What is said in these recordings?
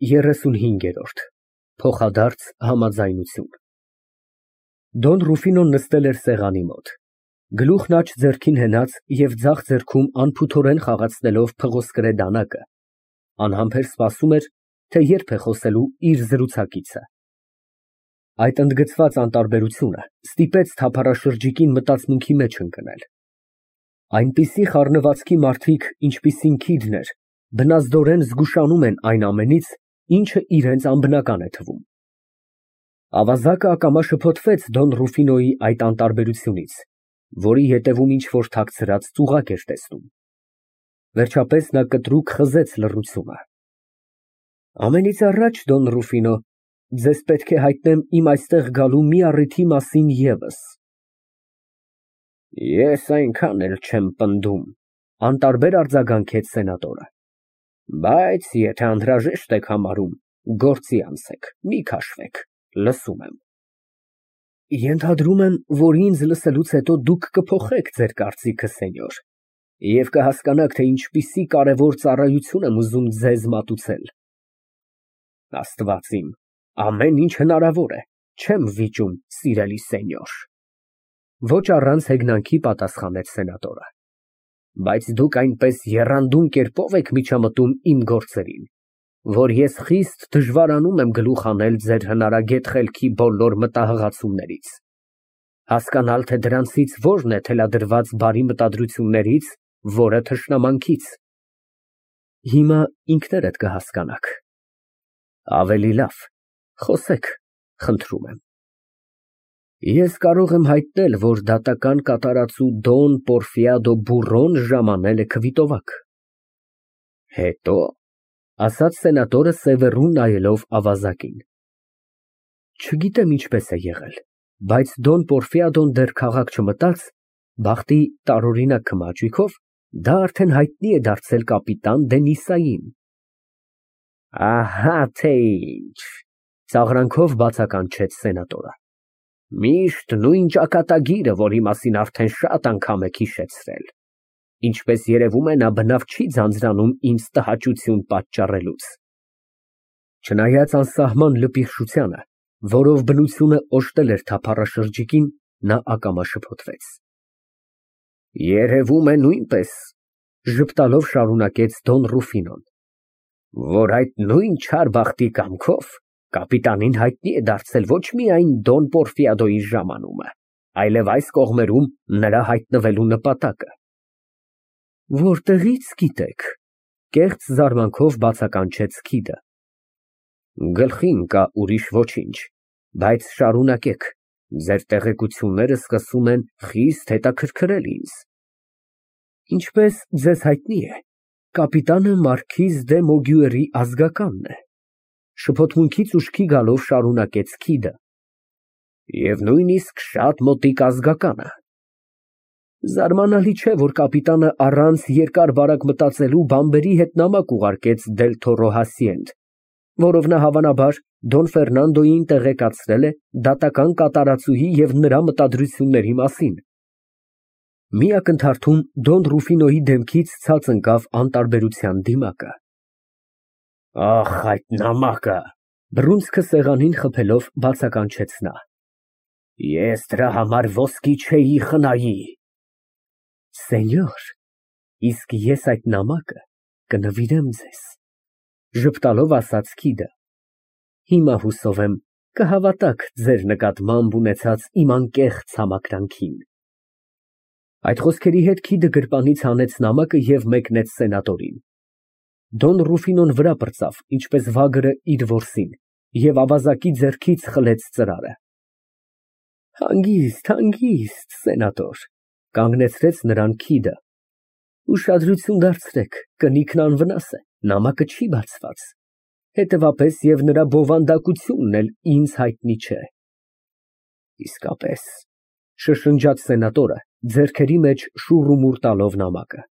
35 Փոխադարձ համաձայնություն Դոն Ռուֆինոն նստել էր սեղանի մոտ, գլուխն աջ ձեռքին հենած և ձախ ձեռքում անփութորեն խաղացնելով փղոսկրե դանակը, անհամբեր սպասում էր, թե երբ է խոսելու իր զրուցակիցը։ Այդ ընդգծված անտարբերությունը ստիպեց թափառաշրջիկին մտածմունքի մեջ ընկնել։ Այնպիսի խառնվածքի մարդիկ, ինչպիսին Քիդն էր, բնազդորեն զգուշանում են այն ամենից, ինչը իրենց անբնական է թվում։ Ավազակը ակամա շփոթվեց Դոն Ռուֆինոյի այդ անտարբերությունից, որի ետևում ինչ֊որ թաքցրած ծուղակ էր տեսնում։ Վերջապես նա կտրուկ խզեց լռությունը։ Ամենից առաջ, Դոն Ռուֆինո, ձեզ պետք է հայտնեմ իմ այստեղ գալու մի առիթի մասին ևս։ Ես այնքան էլ չեմ պնդում, անտարբեր արձագանքեց սենատորը, բայց եթե անհրաժեշտ եք համարում, գործի անցեք, մի քաշվեք, լսում եմ։ Ենթադրում եմ, որ ինձ լսելուց հետո դուք կփոխեք ձեր կարծիքը, սենյոր, և կհասկանաք, թե ինչպիսի կարևոր ծառայություն եմ ուզում ձեզ մատուցել։ Աստված իմ, ամեն ինչ հնարավոր է, չեմ վիճում, սիրելի սենյոր։ Ոչ առանց հեգնանքի պատասխանեց սենատորը։ Բայց դուք այնպես եռանդուն կերպով եք միջամտում իմ գործերին, որ ես խիստ դժվարանում եմ գլուխ հանել ձեր հնարագետ խելքի բոլոր մտահղացումներից, հասկանալ, թե դրանցից որն է թելադրված բարի մտադրություններից, որը թշնամանքից։ Հիմա ինքներդ կհասկանաք։ Ավելի լավ, խոսեք, խնդրում եմ։ Ես կարող եմ հայտնել, որ դատական կատարածու Դոն Պորֆիադո Բուրոն ժամանել է քվիտովակ։ Հետո, ասաց սենատորը սևեռուն նայելով ավազակին։ Չգիտեմ ինչպես է եղել, բայց Դոն Պորֆիադոն դեռ քաղաք չմտած, բախտի տարօրինակ քմաճույքով, դա արդեն հայտնի է դարձել կապիտան Դենիսային։ Ահա թե ինչ, ծաղրանքով բացականչեց սենատորը։ Միշտ նույն ճակատագիրը, որի մասին արդեն շատ անգամ եք հիշեցրել։ Ինչպես երևում է, նա բնավ չի ձանձրանում ինձ տհաճություն պատճառելուց։ Չնայած անսահման լպիղշությանը, որով բնությունը օժտել էր թափառաշրջիկին, նա ակամա շփոթվեց։ Երևում է նույնպես, ժպտալով շարունակեց Դոն Ռուֆինոն, որ այդ նույն չար բախտի կամքով կապիտանին հայտնի է դարձել ոչ միայն Դոն Պորֆիադոյի ժամանումը, այլև այս կողմերում նրա հայտնվելու նպատակը։ Որտեղի՞ց գիտեք, կեղծ զարմանքով բացականչեց Քիդը։ Գլխի ընկա ուրիշ ոչինչ, բայց շարունակեք, ձեր տեղեկությունները սկսում են խիստ հետաքրքրել ինձ։ Ինչպես ձեզ հայտնի է, կապիտանը մարքիզ դե Մոգյուերի ազգականն է, շփոթմունքից ուշքի գալով շարունակեց Քիդը։ Եվ նույնիսկ շատ մոտիկ ազգականը։ Զարմանալի չէ, որ կապիտանը առանց երկար-բարակ մտածելու բամբերի հետ նամակ ուղարկեց Դել Թորո Հասիենդ, որով նա հավանաբար Դոն Ֆերնանդոյին տեղեկացրել է դատական կատարածուհի և նրա մտադրությունների մասին։ Մի ակնթարթում Դոն Ռուֆինոյի դեմքից ցած ընկավ անտարբերության դիմակը։ Ահ, այդ նամակը, բռունցքը սեղանին խփելով բացականչեց նա։ Ես դրա համար ոսկի չէի խնայի։ Սենյոր, իսկ ես այդ նամակը կնվիրեմ ձեզ, ժպտալով ասաց Քիդը։ Հիմա հուսով եմ կհավատաք ձեր նկատմամբ ունեցած իմ անկեղծ համակրանքին։ Այդ խոսքերի հետ Քիդը գրպանից հանեց նամակը և մեկնեց սենատորին։ Դոն Ռուֆինոն վրա պրծավ, ինչպես վագրը իր որսին, և ավազակի ձեռքից խլեց ծրարը։ Հանգիստ, հանգիստ, սենատոր, կանգնեցրեց նրան Քիդը։ Ուշադրություն դարձրեք, կնիքն անվնաս է, նամակը չի բացված, հետևապես և նրա բովանդակությունն էլ ինձ հայտնի չէ։ Իսկապես, շշնջաց սենատորը, ձեռքերի մեջ շուռումուռ տալով նամակը։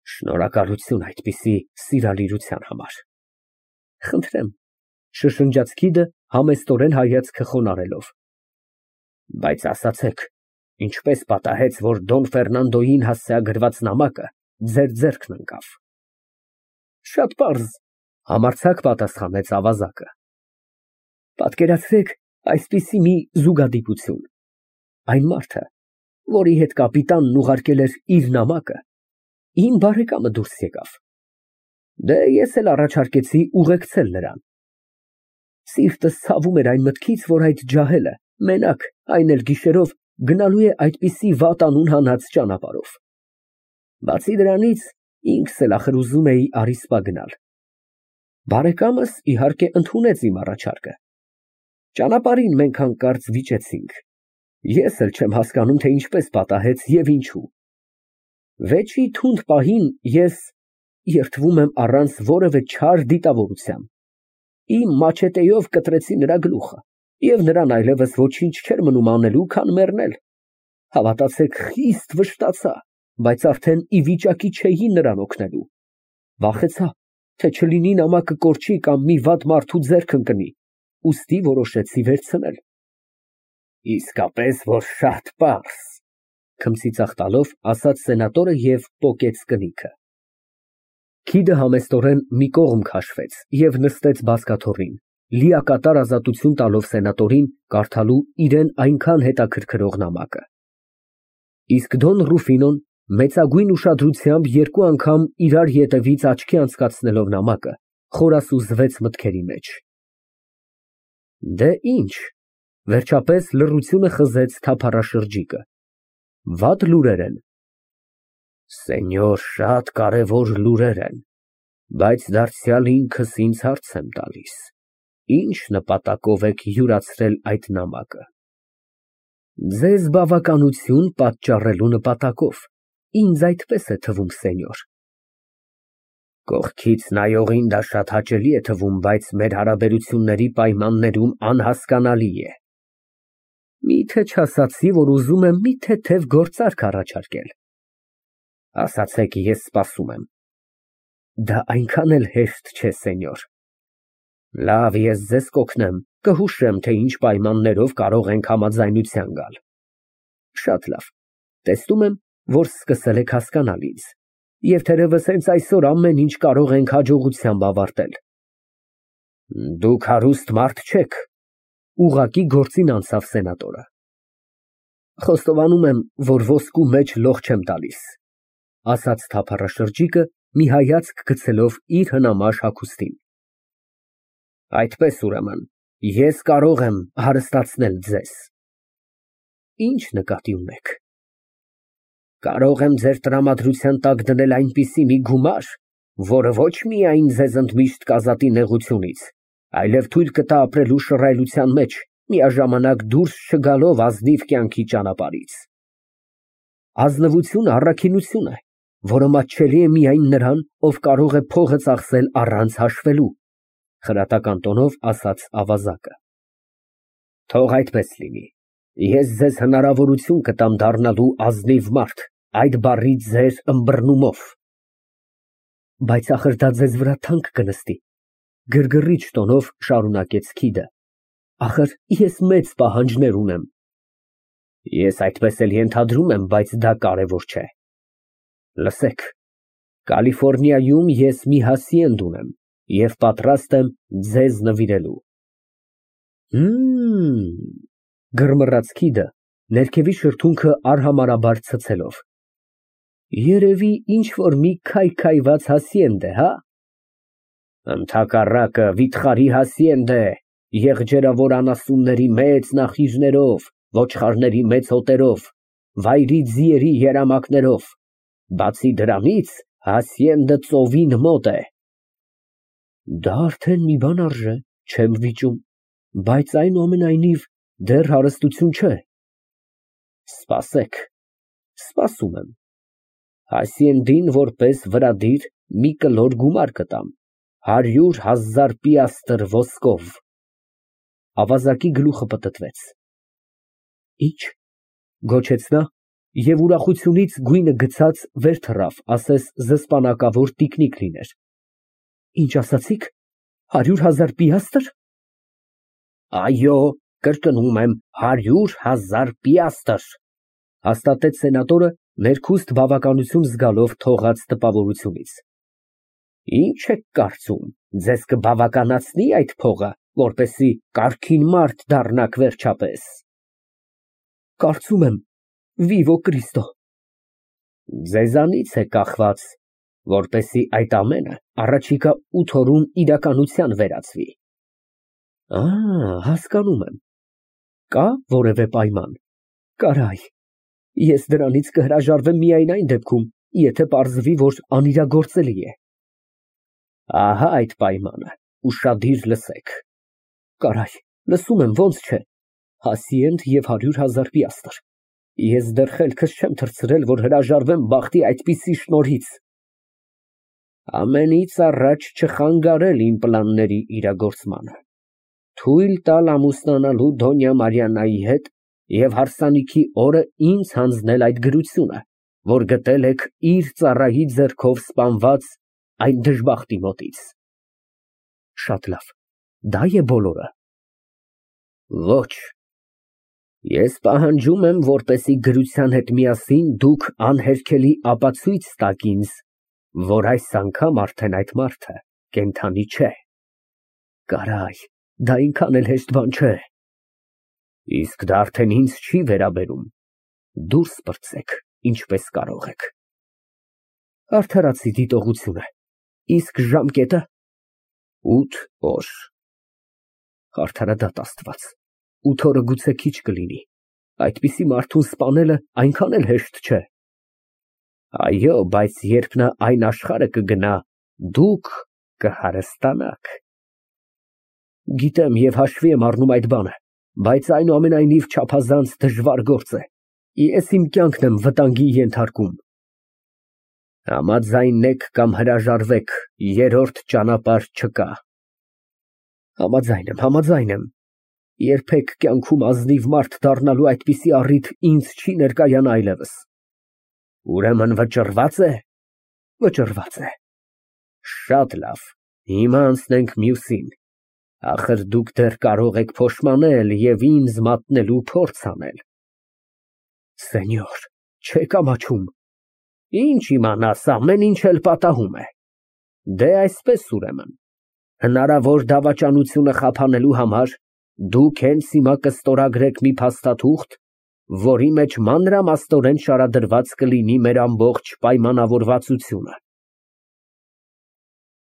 Շնորհակալություն այդպիսի սիրալիրության համար։ Խնդրեմ, շշնջաց Քիդը համեստորեն հայացքը խոնարհելով։ Բայց ասացեք, ինչպես պատահեց, որ Դոն Ֆերնանդոյին հասցեագրված նամակը ձեր ձեռքն ընկավ։ Շատ պարզ, Համարձակ պատասխանեց ավազակը։ Պատկերացրեք այսպիսի մի զուգադիպություն. այն մարդը, որի հետ կապիտանն ուղարկել էր իր նամակը, իմ բարեկամը դուրս եկավ։ Դե ես էլ առաջարկեցի ուղեկցել նրան։ Սիրտս ցավում էր այն մտքից, որ այդ ջահելը մենակ, այն էլ գիշերով, գնալու է այդպիսի վատ անուն հանած ճանապարհով։ Բացի դրանից, ինքս էլ ախր ուզում էի Արիսպա գնալ։ Բարեկամս իհարկե ընդունեց իմ առաջարկը։ Ճանապարհին մենք հանկարծ վիճեցինք։ Ես էլ չեմ հասկանում, թե ինչպես պատահեց եւ ինչու։ Վեճի թունդ պահին ես երդվում եմ առանց որևէ չար դիտավորության։ Իմ մաչետեով կտրեցի նրա գլուխը, եւ նրան այլևս ոչինչ չէր մնում անելու, քան մեռնել։ Հավատացեք, խիստ վշտացա, բայց արդեն ի վիճակի չէի նրան օգնելու։ Վախեցա, թե չլինի նամակը կորչի կամ մի վատ մարդու ձեռք ընկնի, ուստի որոշեցի վերցնել։ Իսկապես որ շատ պարզ, քմծիծաղ տալով ասաց սենատորը եւ պոկեց կնիքը։ Քիդը համեստորեն մի կողմ քաշվեց եւ նստեց բազկաթոռին, լիակատար ազատություն տալով սենատորին կարդալու իրեն այնքան հետաքրքրող նամակը։ Իսկ Դոն Ռուֆինոն մեծագույն ուշադրությամբ երկու անգամ իրար ետևից աչքի անցկացնելով նամակը, խորասուզվեց մտքերի մեջ։ Դե ինչ, վերջապես լռությունը խզեց թափառաշրջիկը։ Վատ լուրեր են։ Սենյոր, շատ կարևոր լուրեր են, բայց դարձյալ ինքս ինձ հարց եմ տալիս. ինչ նպատակով եք յուրացրել այդ նամակը։ Ձեզ բավականություն պատճառելու նպատակով, ինձ այդպես է թվում, սենյոր։ Կողքից նայողին դա շատ հաճելի է թվում, բայց մեր հարաբերությունների պայմաններում անհասկանալի է։ Միթե չասացի, որ ուզում եմ մի թեթև գործարք առաջարկել։ Ասացեք, ես սպասում եմ։ Դա այնքան էլ հեշտ չէ, սենյոր։ Լավ, ես ձեզ կօգնեմ, կհուշեմ, թե ինչ պայմաններով կարող ենք համաձայնության գալ։ Շատ լավ, տեսնում եմ, որ սկսել եք հասկանալ ինձ, եւ թերևս հենց այսօր ամեն ինչ կարող ենք հաջողությամբ ավարտել։ Դուք հարուստ մարդ չեք, ուղղակի գործին անցավ սենատորը։ Խոստովանում եմ, որ ոսկու մեջ լող չեմ տալիս, ասաց թափառաշրջիկը, մի հայացք գցելով իր հնամաշ հագուստին։ Այդպես ուրեմն, ես կարող եմ հարստացնել ձեզ։ Ինչ նկատի ունեք։ Կարող եմ ձեր տրամադրության տակ դնել այնպիսի մի գումար, որը ոչ միայն ձեզ ընդմիշտ կազատի նեղությունից, այլև թույլ կտա ապրելու շռայլության մեջ, միաժամանակ դուրս չգալով ազնիվ կյանքի ճանապարհից։ Ազնվությունը առաքինություն է, որը մատչելի է միայն նրան, ով կարող է փողը ծախսել առանց հաշվելու, խրատական տոնով ասաց ավազակը։ Թող այդպես լինի։ Ես ձեզ հնարավորություն կտամ դառնալու ազնիվ մարդ, այդ բառի ձեր ըմբռնումով։ Բայց ախր դա ձեզ վրա թանկ կնստի, գրգռիչ տոնով շարունակեց Քիդը։ Ախր ես մեծ պահանջներ ունեմ։ Ես այդպես էլ ենթադրում եմ, բայց դա կարևոր չէ։ Լսեք, Կալիֆոռնիայում ես մի հասիենդ ունեմ եւ պատրաստ եմ ձեզ նվիրելու։ Գրմռաց Քիդը, ներքևի շրթունքը արհամարհաբար ցցելով։ Երևի ինչ որ մի քայքայված հասիենդ է, հա։ Ընդհակառակը վիթխարի հասիենդ է, եղջերավոր անասունների մեծ նախիժներով, ոչխարների մեծ հոտերով, վայրի ձիերի երամակներով, բացի դրանից հասիենդը ծովին մոտ է։ Դա արդեն մի բան արժե, չեմ վիճում, բայց այնուամենայնիվ դեռ հարստություն չէ։ Սպասեք, սպասում եմ։ Հասիենդին որպես վրադիր մի կլոր գումար կտամ, 100,000 պիաստր ոսկով։ Ավազակի գլուխը պտտվեց։ Ինչ, գոչեց նա, եւ ուրախությունից գույնը գցած վեր թռավ, ասես զսպանակավոր տիկնիկ լիներ։ Ինչ ասացիք, 100,000 պիաստր։ Այո, կրկնում եմ, 100,000 պիաստր, հաստատեց սենատորը, ներքուստ բավականություն զգալով թողած տպավորությունից։ Ինչ եք կարծում, ձեզ կբավականացնի այդ փողը, որպեսզի կարգին մարդ դառնաք վերջապես։ Կարծում եմ, Վիվո Կրիստո։ Ձեզանից է կախված, որպեսզի այդ ամենը առաջիկա 8 օրում իրականության վերածվի։ Հասկանում եմ։ Կա որևէ պայման։ Կարայ, ես դրանից կհրաժարվեմ միայն այն դեպքում, եթե պարզվի, որ անիրագործելի է։ Ահա այդ պայմանը, ուշադիր լսեք։ Կարայ, լսում եմ, ոնց չէ, Հասիենդ և 100,000 պիաստր։ Ես դեռ խելքս չեմ թռցրել, որ հրաժարվեմ բախտի այդպիսի շնորհից։ Ամենից առաջ չխանգարել իմ պլանների իրագործմանը, թույլ տալ ամուսնանալու Դոնյա Մարիաննայի հետ և հարսանիքի օրը ինձ հանձնել այդ գրությունը, որ գտել եք իր ծառայի ձեռքով սպանված այն դժբախտի մոտից։ Շատ լավ, դա է բոլորը։ Ոչ, ես պահանջում եմ, որպեսզի գրության հետ միասին դուք անհերքելի ապացույց տաք ինձ, որ այս անգամ արդեն այդ մարդը կենդանի չէ։ Կարայ, դա այնքան էլ հեշտ բան չէ։ Իսկ դա արդեն ինձ չի վերաբերում։ Դուրս պրծեք, ինչպես կարող եք։ Արդարացի դիտողությունը։ Իսկ ժամկետը։ 8 օր։ Արդարադատ Աստված, 8 օրը գուցե քիչ կլինի։ Այդպիսի մարդուն սպանելը այնքան էլ հեշտ չէ։ Այո, բայց երբ նա այն աշխարհը կգնա, դուք կհարստանաք։ Գիտեմ և հաշվի եմ առնում այդ բանը, բայց այնուամենայնիվ չափազանց դժվար գործ է։ Ես իմ կյանքն եմ վտանգի ենթարկում։ Համաձայնեք կամ հրաժարվեք, երրորդ ճանապարհ չկա։ Համաձայն եմ։ Երբեք կյանքում ազնիվ մարդ դառնալու այդպիսի առիթ ինձ չի ներկայանա այլևս։ Ուրեմն վճռվա՞ծ է։ Վճռված է։ Շատ լավ, հիմա անցնենք մյուսին։ Ախր դուք դեռ կարող եք փոշմանել և ինձ մատնելու փորձ անել։ Սենյոր, չեք ամաչում։ Ինչ իմանաս, ամեն ինչ էլ պատահում է։ Դե այսպես ուրեմն, հնարավոր դավաճանությունը խափանելու համար դուք հենց հիմա կստորագրեք մի փաստաթուղթ, որի մեջ մանրամասնորեն շարադրված կլինի մեր ամբողջ պայմանավորվածությունը։